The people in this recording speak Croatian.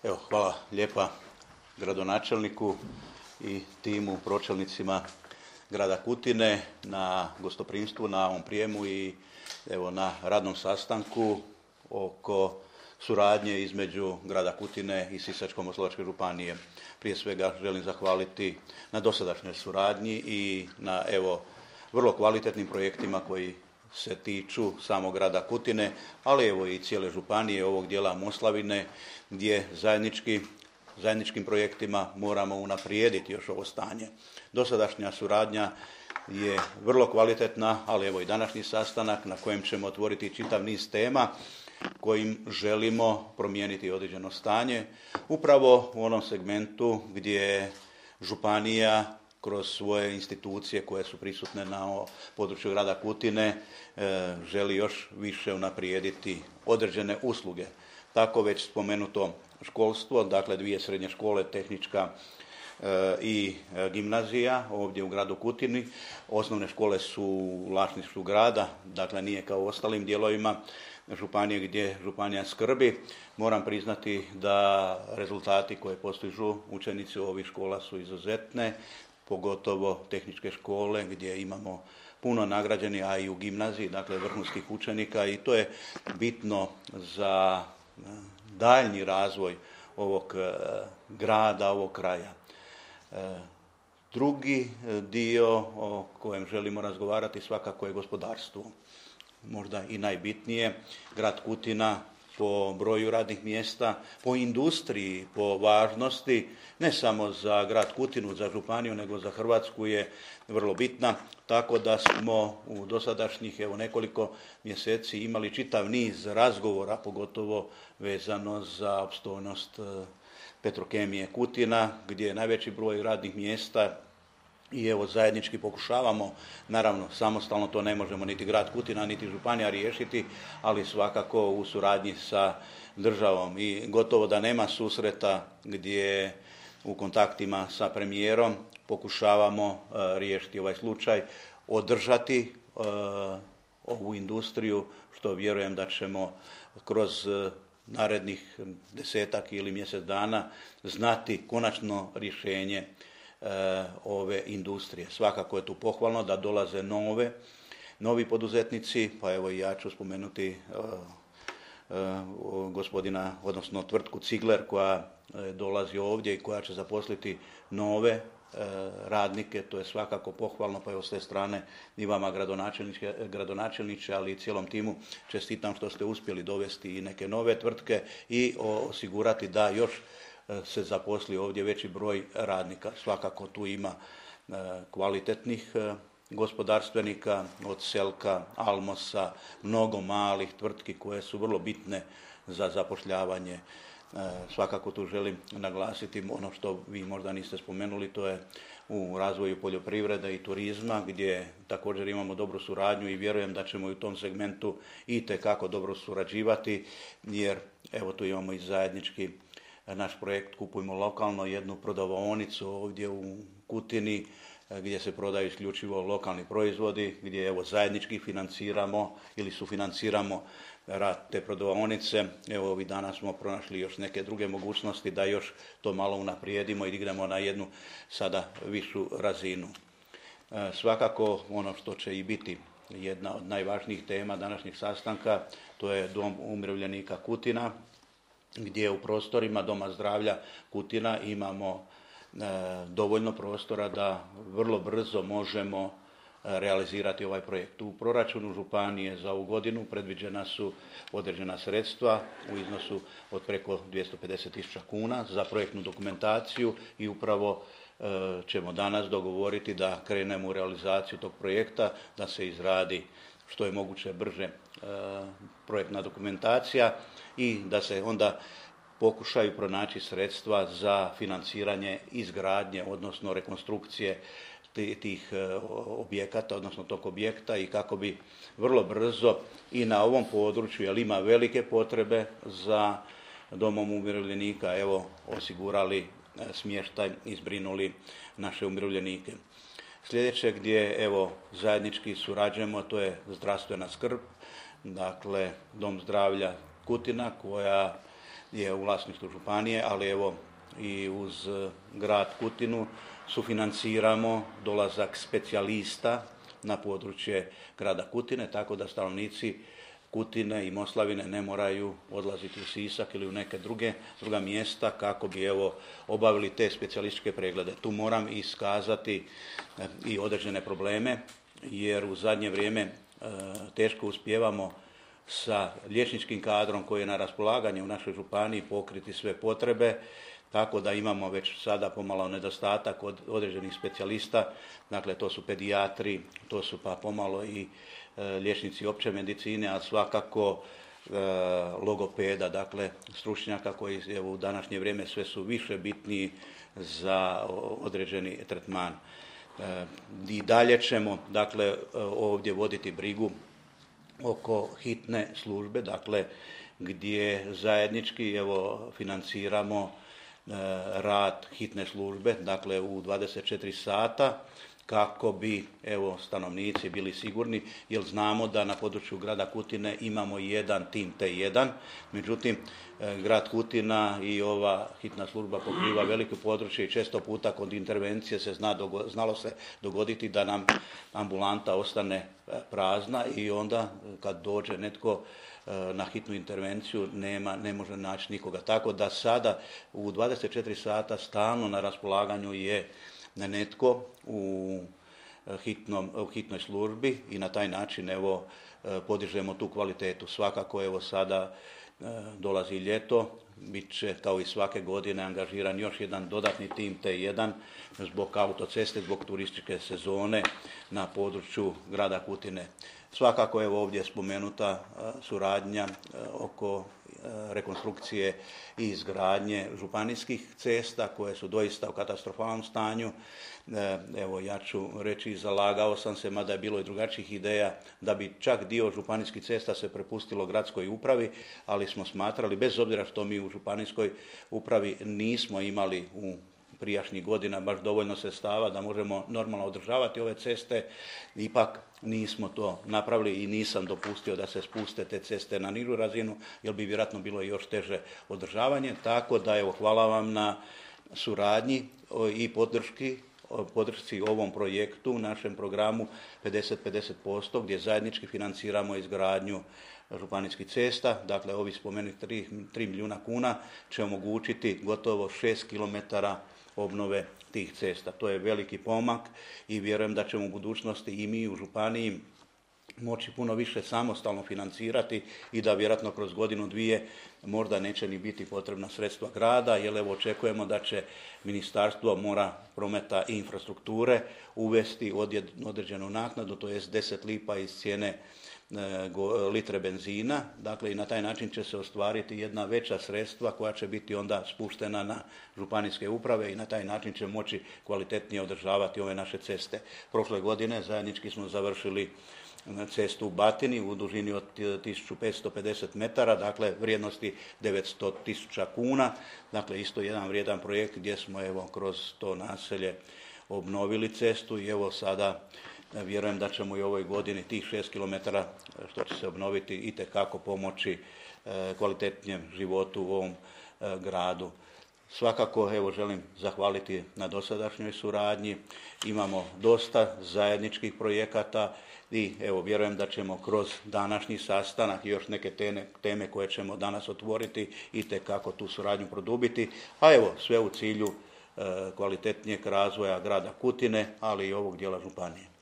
Evo, hvala lijepa gradonačelniku i timu pročelnicima grada Kutine na gostoprimstvu, na ovom prijemu i evo na radnom sastanku oko suradnje između grada Kutine i Sisačko-moslavačke županije. Prije svega želim zahvaliti na dosadašnjoj suradnji i na evo vrlo kvalitetnim projektima koji se tiču samog grada Kutine, ali evo i cijele županije, ovog dijela Moslavine, gdje zajedničkim projektima moramo unaprijediti još ovo stanje. Dosadašnja suradnja je vrlo kvalitetna, ali evo i današnji sastanak na kojem ćemo otvoriti čitav niz tema kojim želimo promijeniti određeno stanje, upravo u onom segmentu gdje županija kroz svoje institucije koje su prisutne na području grada Kutine želi još više unaprijediti određene usluge. Tako već spomenuto školstvo, dakle 2 srednje škole, tehnička i gimnazija ovdje u gradu Kutini. Osnovne škole su u vlasništvu grada, dakle nije kao u ostalim dijelovima županije gdje županija skrbi. Moram priznati da rezultati koje postižu učenici ovih škola su izuzetne, pogotovo tehničke škole gdje imamo puno nagrađenih, a i u gimnaziji, dakle vrhunskih učenika, i to je bitno za daljnji razvoj ovog grada, ovog kraja. Drugi dio o kojem želimo razgovarati svakako je gospodarstvo. Možda i najbitnije, grad Kutina po broju radnih mjesta, po industriji, po važnosti, ne samo za grad Kutinu, za županiju, nego za Hrvatsku je vrlo bitna, tako da smo u dosadašnjih nekoliko mjeseci imali čitav niz razgovora, pogotovo vezano za opstojnost Petrokemije Kutina, gdje je najveći broj radnih mjesta i evo zajednički pokušavamo, naravno samostalno to ne možemo niti grad Kutina niti županija riješiti, ali svakako u suradnji sa državom, i gotovo da nema susreta gdje u kontaktima sa premijerom pokušavamo riješiti ovaj slučaj, održati ovu industriju, što vjerujem da ćemo kroz narednih 10 ili mjesec dana znati konačno rješenje ove industrije. Svakako je tu pohvalno da dolaze novi poduzetnici, pa evo i ja ću spomenuti gospodina, odnosno tvrtku Cigler koja dolazi ovdje i koja će zaposliti nove radnike. To je svakako pohvalno, pa evo s te strane i vama gradonačelniče, ali i cijelom timu čestitam što ste uspjeli dovesti i neke nove tvrtke i osigurati da još se zaposli ovdje veći broj radnika. Svakako tu ima kvalitetnih gospodarstvenika, od Selka, Almosa, mnogo malih tvrtki koje su vrlo bitne za zapošljavanje. Svakako tu želim naglasiti ono što vi možda niste spomenuli, to je u razvoju poljoprivrede i turizma, gdje također imamo dobru suradnju i vjerujem da ćemo i u tom segmentu itekako dobro surađivati, jer evo tu imamo i zajednički naš projekt Kupujmo lokalno, jednu prodavaonicu ovdje u Kutini gdje se prodaju isključivo lokalni proizvodi, gdje evo zajednički financiramo ili sufinanciramo rad te prodavaonice. Evo ovih dana smo pronašli još neke druge mogućnosti da još to malo unaprijedimo i dignemo na jednu sada višu razinu. Svakako ono što će i biti jedna od najvažnijih tema današnjeg sastanka, to je Dom umirovljenika Kutina, gdje u prostorima Doma zdravlja Kutina imamo dovoljno prostora da vrlo brzo možemo realizirati ovaj projekt. U proračunu županije za ovu godinu predviđena su određena sredstva u iznosu od preko 250.000 kuna za projektnu dokumentaciju i upravo ćemo danas dogovoriti da krenemo u realizaciju tog projekta, da se izradi što je moguće brže projektna dokumentacija i da se onda pokušaju pronaći sredstva za financiranje izgradnje, odnosno rekonstrukcije tih objekata, odnosno tog objekta, i kako bi vrlo brzo i na ovom području, jer ima velike potrebe za domom umirovljenika, evo osigurali smještaj i zbrinuli naše umirovljenike. Sljedeće gdje evo zajednički surađujemo, to je zdravstvena skrb, dakle Dom zdravlja Kutina koja je u vlasništvu županije, ali evo i uz grad Kutinu sufinanciramo dolazak specijalista na područje grada Kutine, tako da stanovnici Kutine i Moslavine ne moraju odlaziti u Sisak ili u neke druga mjesta kako bi obavili te specijalističke preglede. Tu moram iskazati i određene probleme, jer u zadnje vrijeme teško uspijevamo sa liječničkim kadrom koji je na raspolaganju u našoj županiji pokriti sve potrebe, tako da imamo već sada pomalo nedostatak od određenih specijalista, dakle to su pedijatri, to su pa pomalo i liječnici opće medicine, a svakako logopeda, dakle stručnjaka koji u današnje vrijeme sve su više bitniji za određeni tretman. I dalje ćemo dakle ovdje voditi brigu oko hitne službe, dakle gdje zajednički financiramo rad hitne službe, dakle u 24 sata kako bi stanovnici bili sigurni, jer znamo da na području grada Kutine imamo jedan tim T1, međutim grad Kutina i ova hitna služba pokriva veliko područje i često puta kod intervencije se znalo se dogoditi da nam ambulanta ostane prazna i onda kad dođe netko na hitnu intervenciju ne može naći nikoga. Tako da sada u 24 sata stalno na raspolaganju je netko u hitnoj službi i na taj način podižemo tu kvalitetu. Svakako sada dolazi ljeto, bit će kao i svake godine angažiran još jedan dodatni tim T1 zbog autoceste, zbog turističke sezone na području grada Kutine. Svakako ovdje je spomenuta suradnja oko rekonstrukcije i izgradnje županijskih cesta koje su doista u katastrofalnom stanju. Ja ću reći, zalagao sam se, mada je bilo i drugačijih ideja, da bi čak dio županijskih cesta se prepustilo gradskoj upravi, ali smo smatrali, bez obzira što mi u županijskoj upravi nismo imali u prijašnjih godina baš dovoljno sredstava da možemo normalno održavati ove ceste, ipak nismo to napravili i nisam dopustio da se spuste te ceste na nižu razinu, jer bi vjerojatno bilo još teže održavanje. Tako da hvala vam na suradnji i podršci ovom projektu, našem programu 50-50%, gdje zajednički financiramo izgradnju županijskih cesta. Dakle, ovi spomenuti 3 milijuna kuna će omogućiti gotovo 6 kilometara obnove tih cesta. To je veliki pomak i vjerujem da ćemo u budućnosti i mi u županiji moći puno više samostalno financirati i da vjerojatno kroz godinu, dvije možda neće ni biti potrebna sredstva grada, jer očekujemo da će Ministarstvo mora, prometa i infrastrukture uvesti određenu naknadu, to jest 10 lipa iz cijene litre benzina, dakle i na taj način će se ostvariti jedna veća sredstva koja će biti onda spuštena na županijske uprave i na taj način će moći kvalitetnije održavati ove naše ceste. Prošle godine zajednički smo završili cestu u Batini u dužini od 1550 metara, dakle vrijednosti 900.000 kuna, dakle isto jedan vrijedan projekt gdje smo kroz to naselje obnovili cestu i sada vjerujem da ćemo i ovoj godini tih 6 kilometara što će se obnoviti itekako pomoći kvalitetnijem životu u ovom gradu. Svakako želim zahvaliti na dosadašnjoj suradnji, imamo dosta zajedničkih projekata i vjerujem da ćemo kroz današnji sastanak i još neke teme koje ćemo danas otvoriti itekako tu suradnju produbiti, a sve u cilju kvalitetnijeg razvoja grada Kutine, ali i ovog dijela županije.